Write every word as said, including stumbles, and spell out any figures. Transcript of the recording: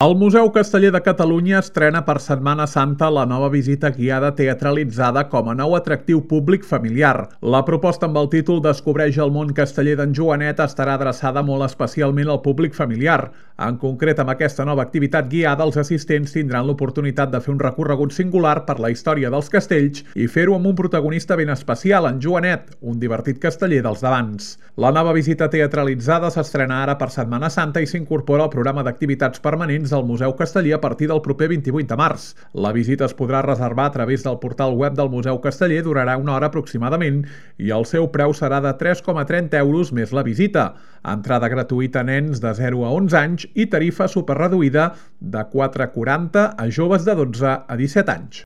El Museu Casteller de Catalunya estrena per Setmana Santa la nova visita guiada teatralitzada com a nou atractiu públic familiar. La proposta amb el títol Descobreix el món casteller d'en Joanet estarà adreçada molt especialment al públic familiar. En concret, amb aquesta nova activitat guiada, els assistents tindran l'oportunitat de fer un recorregut singular per la història dels castells i fer-ho amb un protagonista ben especial, en Joanet, un divertit casteller dels d'abans. La nova visita teatralitzada s'estrena ara per Setmana Santa i s'incorpora al programa d'activitats permanents al Museu Casteller a partir del proper vint-i-vuit de març. La visita es podrà reservar a través del portal web del Museu Casteller, durarà una hora aproximadament i el seu preu serà de tres coma trenta euros més la visita. Entrada gratuïta a nens de zero a onze anys i tarifa superreduïda de quatre coma quaranta a joves de dotze a disset anys.